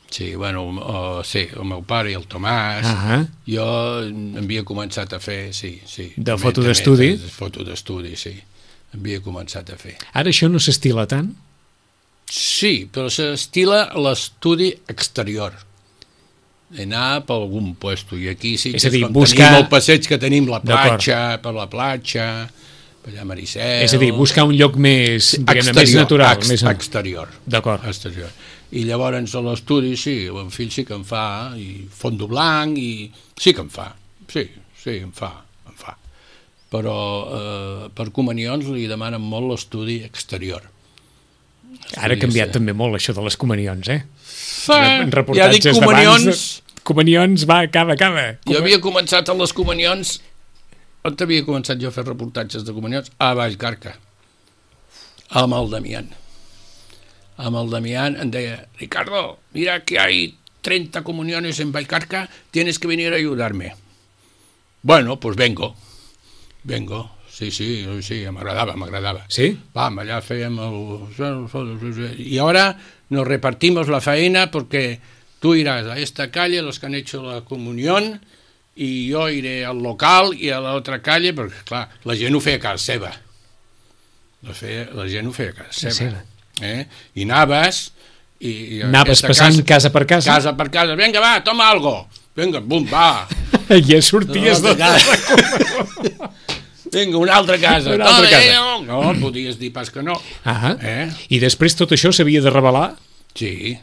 Sí, bueno, uh, sí, el meu pare i el Tomàs, Ahà. jo havia començat a fer, sí, sí. De també- foto també d'estudi? de Foto d'estudi, sí. Havia començat a fer. Ara això no s'estila tant? Sí, però s'estila l'estudi exterior. Anar per algun puesto. I aquí sí És que a dir, quan buscar- tenim el passeig que tenim, la D'acord. platja, per la platja, per allà a Maricel... És a dir, buscar un lloc més, diguem-ne, més exterior, natural. ex, Més... exterior. D'acord. Exterior. I llavors a l'estudi, sí, el meu fill sí que em fa, i fondo blanc, i sí que em fa, sí, sí, em fa, em fa. Però eh, per comunions li demanen molt l'estudi exterior. Ara ha canviat també molt això de les comunions, eh? Fa, En ja dic reportatges comunions... d'abans, comunions, va, acaba, acaba. Jo havia començat a les comunions, on havia començat jo a fer reportatges de comunions? A Vallcarca, amb el Damián. Amb el Damián em deia, Ricardo, mira que hay treinta comuniones en Vallcarca, tienes que venir a ayudarme. Bueno, pues vengo, vengo. Sí, sí, sí, m'agradava, m'agradava. Sí? Vam, allà fèiem el... Y ahora nos repartimos la faena porque tú irás a esta calle, los que han hecho la comunión, y yo iré al local i a l'altra calle, perquè, clar, la gent ho feia a casa seva. La, feia, la gent ho feia a casa seva. Eh? I anaves... I, i Anaves passant casa, casa per casa? Casa per casa. Vinga, va, toma algo. Vinga, bum, va. Ja sorties de... Vinga, una altra casa. Una altra casa. No, no, podies dir pas que no. Ah, Eh? I després tot això s'havia de revelar? Sí,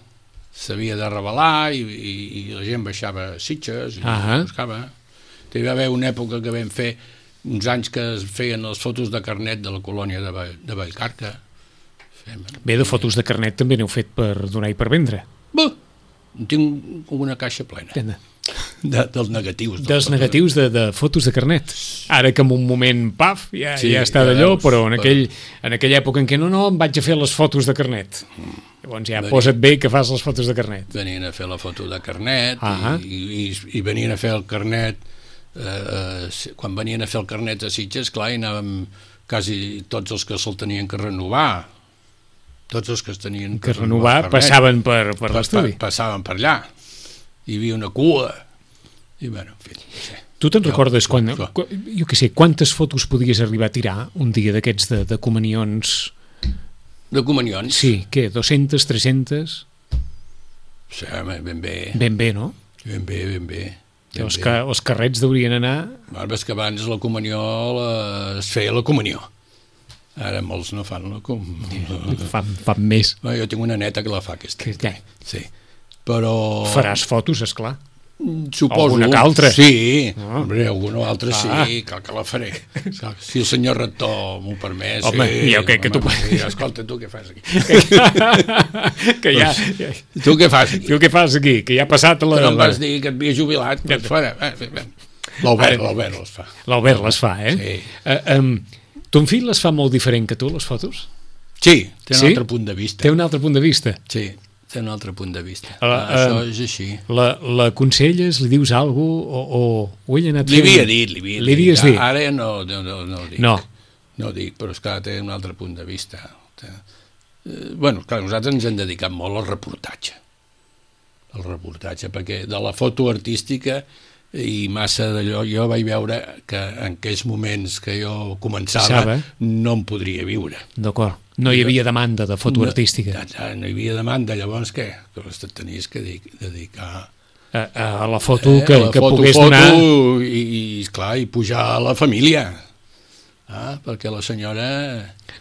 s'havia de revelar i, i, i la gent baixava sitges i Ah. buscava. Hi va haver una època que vam fer uns anys que es feien les fotos de carnet de la colònia de, Vall, de Vallcarca. Fem... Bé, de fotos de carnet també n'heu fet per donar i per vendre. Buh! En tinc una caixa plena de, dels negatius. Dels negatius de, de fotos de carnet. Ara que en un moment, paf, ja, Sí, ja està ja d'allò, veus, però en, però- aquell, en aquella època en què no, no, em vaig a fer les fotos de carnet. Llavors ja Venia- posa't bé que fas les fotos de carnet. Venien a fer la foto de carnet Ah. i, i, i venien a fer el carnet eh, eh, quan venien a fer el carnet a Sitges, clar, hi anàvem quasi tots els que se'l tenien que renovar, tots els que es tenien Que renovar el carnet, passaven per, per pa- l'estudi. pa- passaven per allà, hi havia una cua i bueno, en fi, no sé. Tu te'n Jo- recordes quan, jo- quan, jo què sé, quantes fotos podies arribar a tirar un dia d'aquests de, de comunions? de comunions, Sí, què, dos-centes, tres-centes? sí, home, ben bé Ben bé, no? ben bé, ben bé, ben Els, bé. ca, els carrets deurien anar... Bueno, és que abans la comunió la, es feia la comunió, ara molts no fan la comunió. Fan, fan més. Bueno, jo tinc una neta que la fa aquesta. Que, ja, Sí. Però... faràs fotos, esclar. Suposo. alguna que altra. Sí, Ah. hombre, alguna altra Ah. sí, cal que la faré. Si el senyor rector m'ho permet, Home, sí. jo crec que tu- home, mira, escolta, tu què fas aquí? que ja, ja... Tu què fas aquí? Tu què fas aquí? Que ja ha passat la... Que no em la- vas dir que et havia jubilat, doncs fora. L'Albert, l'Albert les fa. L'Albert les fa, eh? Sí. Uh, um, ton fill les fa molt diferent que tu, les fotos? Sí, té un Sí? altre punt de vista. Té un altre punt de vista. Sí, té un altre punt de vista. Ah, Això eh, és així. La, l'aconselles, li dius alguna cosa o, o, o ell ha anat Li fent- havia dit, li havia Li dit. havies dit? Ara ja no, no, no, no ho dic. No. No ho dic, però esclar, té un altre punt de vista. Eh, bueno, clar, nosaltres ens hem dedicat molt al reportatge. Al reportatge, perquè de la foto artística i massa d'allò, jo vaig veure que en aquells moments que jo començava Sabe. no em podria viure. D'acord. No hi havia demanda de foto No, artística no, no hi havia demanda, llavors què? Que te tenies que dedic- dedicar a, a la foto eh, que, la que foto, pogués foto, donar... i, i, clar, i pujar a la família. Ah, perquè la senyora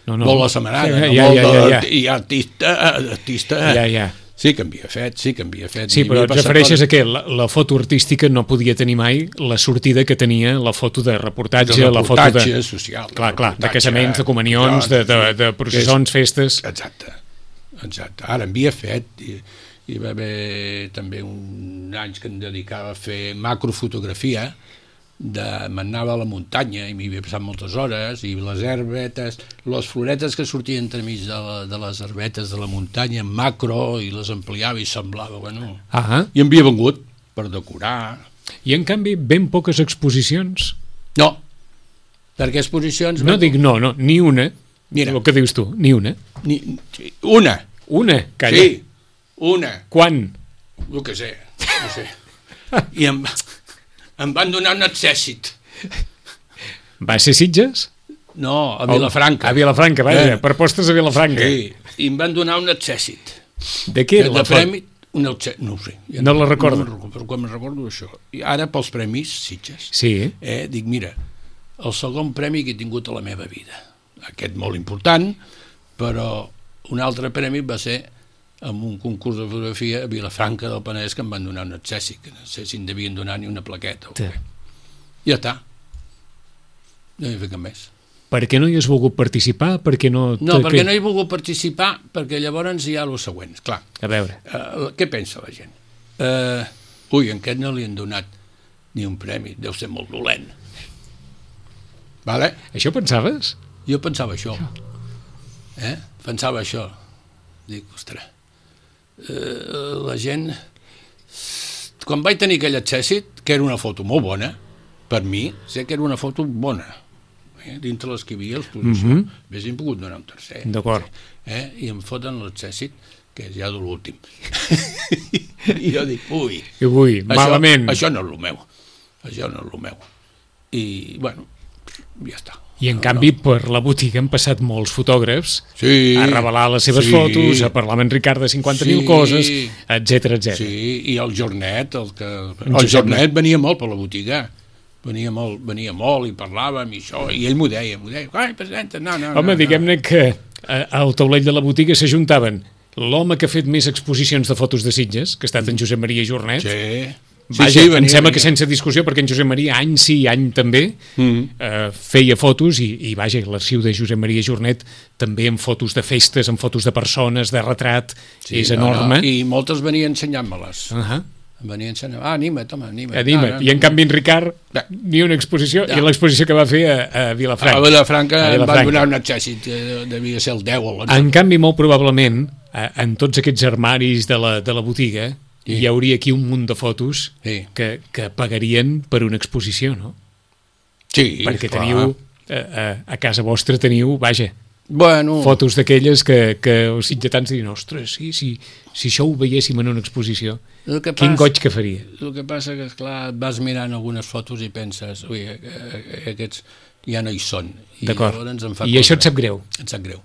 No, no. vol la setmanada, Ja, no ja, vol ja, de, ja, ja. i artista, artista Ja, ja. sí que en havia fet, sí que en havia fet. Sí, Hi però havia et passat refereixes coses. a què? La, la foto artística no podia tenir mai la sortida que tenia la foto de reportatge, de la foto de... reportatge social. Clar, clar, de reportatge, casaments, de comunions, de, de, de processons, festes... Exacte, exacte. Ara en havia fet, i, hi va haver també un anys que em dedicava a fer macrofotografia, de m'anava a la muntanya i m'hi havia passat moltes hores, i les herbetes, les floretes que sortien entremig de, la, de les herbetes de la muntanya en macro, i les ampliava i semblava, bueno... Ah, I em havia vengut per decorar. i en canvi ben poques exposicions. No, perquè exposicions... No dic no, no, ni una. Mira. El que dius tu, ni una. Ni, una, Una, calla. sí, una. Quan? Jo què sé, no sé. I em, em van donar un accèssit. Va ser Sitges? No, a Vilafranca. A Vilafranca, vaja, Eh. per postes a Vilafranca. Sí, i em van donar un accèssit. De què era de la foto? premi, un accèssit, no ho sé. Ja No la recordo. No, me'n recordo, però quan me'n recordo això. I ara pels premis, Sitges, Sí, eh, dic, mira, el segon premi que he tingut a la meva vida. Aquest molt important, però un altre premi va ser amb un concurs de fotografia a Vilafranca del Penedès, que em van donar un accèssit, que no sé si em devien donar ni una plaqueta o Sí. què. ja està. No hi ha fet cap més. Per què no hi has volgut participar? Per què no... No, perquè no hi he volgut participar, perquè llavors hi ha el següent. Clar, a veure. Uh, què pensa la gent? Uh, ui, en aquest no li han donat ni un premi, deu ser molt dolent. Vale? Això pensaves? Jo pensava això. Eh? Pensava això. Dic, ostres, uh, la gent... Quan vaig tenir aquell accèssit, que era una foto molt bona, per mi, sé que era una foto bona, eh? Dintre les que hi havia, l'exposició, mm -hmm. haguéssim pogut donar un tercer. D'acord. Eh? I em foten l'accèssit, que és ja de l'últim. I jo dic, ui, I ui, això, malament. Això no és el meu. Això no és el meu. I, bueno, ja està. I en no, canvi no. per la botiga han passat molts fotògrafs sí, a revelar les seves sí, fotos, a parlar amb en Ricard de cinquanta mil sí, coses, etcètera, etcètera. Sí, i el Jornet, el, que, el Jornet venia molt per la botiga, venia molt, venia molt i parlàvem i això, i ell m'ho deia, m'ho deia, ai, presenta, no, no, Home, no, diguem-ne que al taulell de la botiga s'ajuntaven l'home que ha fet més exposicions de fotos de Sitges, que ha estat en Josep Maria Jornet. Sí. Vaja, sí, sí, venia, em sembla venia. Que sense discussió, perquè en Josep Maria, any sí, any també, mm-hmm. eh, feia fotos i, i vaja, l'arxiu de Josep Maria Jornet també amb fotos de festes, amb fotos de persones, de retrat, sí, és enorme. No, no. I moltes venien ensenyant-me-les. Uh -huh. Venien ensenyant, ah, anima't, home, anima't. Anima't. No, no, I en canvi en Ricard, no. ni una exposició, ja. I l'exposició que va fer a, a Vilafranca. A Vilafranca, a Vilafranca. Em van donar un accèssit, devia ser el deu o l'onze. En canvi, molt probablement, en tots aquests armaris de la, de la botiga, sí. Hi hauria aquí un munt de fotos sí. que, que pagarien per una exposició, no? Sí, perquè clar. teniu, a, a casa vostra teniu, vaja, bueno. fotos d'aquelles que, que els sitgetans dirien, ostres, sí, sí, si això ho veiéssim en una exposició, quin pas, goig que faria. El que passa que, esclar, vas mirant algunes fotos i penses, ui, aquests ja no hi són. D'acord, i, i això et sap greu? Et sap greu.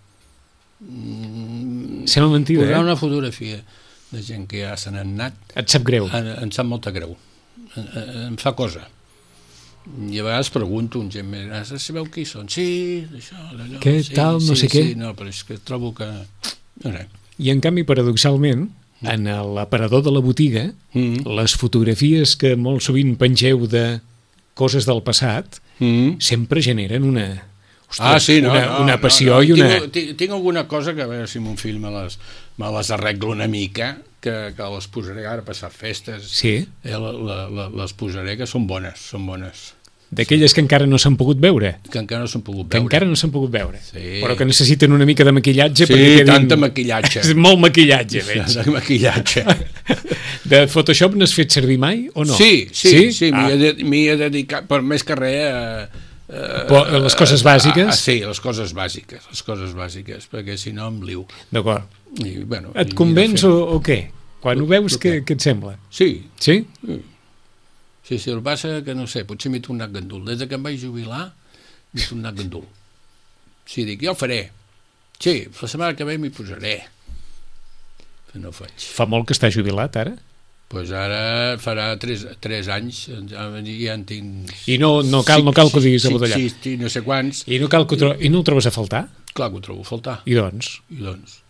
Mm, Sembla mentida, posar eh? una fotografia de gent que ja se n'han anat... Et sap greu? En, em sap molta greu. En, em fa cosa. I a vegades pregunto a un gent més gran, sabeu qui són? Sí, això, allò... Què sí, tal, no sí, sé sí, què? Sí, no, però és que trobo que... No sé. I en canvi, paradoxalment, en l'aparador de la botiga, mm-hmm. les fotografies que molt sovint pengeu de coses del passat, mm-hmm. sempre generen una... Ostres, ah, sí, no, una, no, una passió no, no. i una... Tinc, tinc alguna cosa que a veure si mon fill me les, me les arreglo una mica, que, que les posaré ara a passar festes. Sí? Eh, la, la, la, les posaré, que són bones, són bones. D'aquelles sí. que encara no s'han pogut veure? Que encara no s'han pogut veure. Que encara no s'han pogut veure. Sí. Però que necessiten una mica de maquillatge. Sí, perquè quedin... tanta maquillatge. És molt maquillatge, veig. De maquillatge. De Photoshop n'has fet servir mai o no? Sí, sí, sí, sí ah. m'hi he dedicat, per més que res... Eh, Uh, les coses bàsiques? Ah, sí, les coses bàsiques, les coses bàsiques, perquè si no em liu. D'acord. I, bueno, et convenç o, o què? Quan ho veus, què, què et sembla? Sí. Sí? Sí, sí, el que passa que no sé, potser m'he tornat gandul. Des que em vaig jubilar, m'he tornat gandul. Sí, dic, jo ho faré. Sí, la setmana que ve m'hi posaré. Però no ho faig. Fa molt que està jubilat, ara? Doncs pues ara farà tres, tres anys, ja, ja en tinc... I no, no cal, no cal que ho diguis a botellar. Sí, sí, no sé quants. I no, cal que ho tro... I no ho trobes a faltar? Clar que ho trobo a faltar. I doncs? I doncs?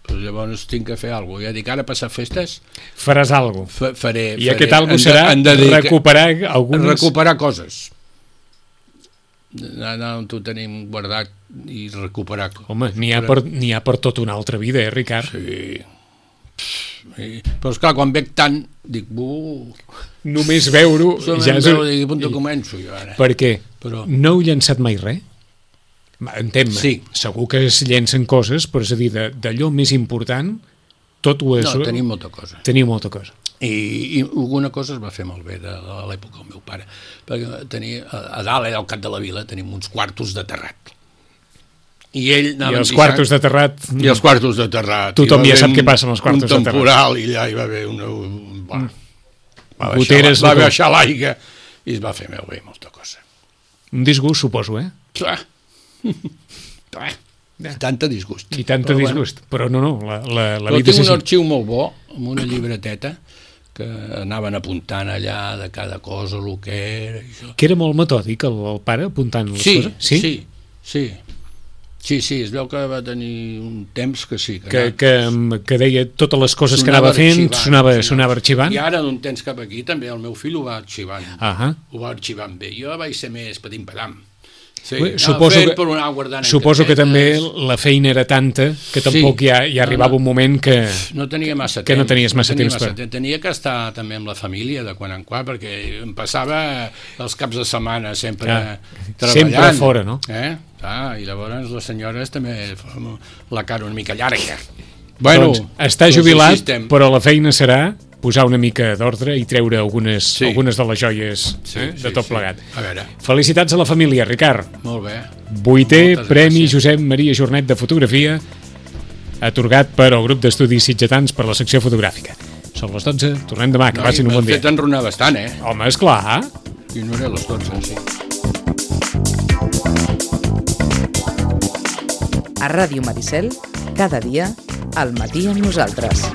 Pues llavors tinc que fer alguna cosa. Ja dic, ara passar festes... Faràs alguna cosa. Faré, I faré. aquest alguna serà de, de recuperar algunes... Recuperar coses. Anar on ho tenim guardat i recuperar. Home, n'hi ha, per, n'hi ha per tota una altra vida, eh, Ricard? Sí. Sí. Però esclar, quan veig tant dic, buh, només veure-ho ja és... veure, dic, on començo jo ara. Per què? Però... No heu llançat mai res? Entén-me, sí. Segur que es llencen coses, però és a dir, d'allò més important tot ho és... No, tenim molta cosa. Teniu molta cosa. I, i alguna cosa es va fer malbé de, de l'època del meu pare, perquè tenia, a dalt, al cap de la vila, tenim uns quartos de terrat. I ell I els quartos de terrat... I els quartos de terrat. Tothom ja sap què passa amb els quartos de terrat. Un temporal, i allà hi va haver una... Va, va Goteres, baixar, va baixar l'aigua i es va fer malbé molta cosa. Un disgust, suposo, eh? Clar. Clar. I tanta disgust. I tanta però disgust. Bueno. Però no, no, la, la, la però vida és així. Tinc un arxiu molt bo, amb una llibreteta, que anaven apuntant allà de cada cosa, el que era... I això. Que era molt metòdic, el, el pare, apuntant les sí, coses? Sí, sí, sí. Sí, sí, es veu que va tenir un temps que sí. Que, que, que deia totes les coses que anava fent, sonava, sonava arxivant. I ara, d'un temps cap aquí, també el meu fill ho va arxivant. Uh-huh. Ho va arxivant bé. Jo vaig ser més patim-patam. Sí, Bé, suposo que, suposo que també la feina era tanta que tampoc sí, ja, ja arribava no, no, un moment que no tenia massa que temps, no tenies massa no tenia temps massa per... temps. Tenia que estar també amb la família de quan en quan, perquè em passava els caps de setmana sempre ah, treballant. Sempre fora, no? Eh? Ah, i llavors les senyores també la cara una mica llarga. Bueno, doncs està jubilat, però la feina serà posar una mica d'ordre i treure algunes, sí. algunes de les joies sí, eh, de tot sí, plegat. Sí. A veure. Felicitats a la família, Ricard. Molt bé. Vuitè Premi gràcies. Josep Maria Jornet de Fotografia, atorgat per al grup d'estudis sitgetans per la secció fotogràfica. Són les dotze, tornem demà, que no, passin un bon dia. M'ha fet enronar bastant, eh? Home, esclar. I no era les dotze, sí. A Ràdio Maricel, cada dia, al matí amb nosaltres.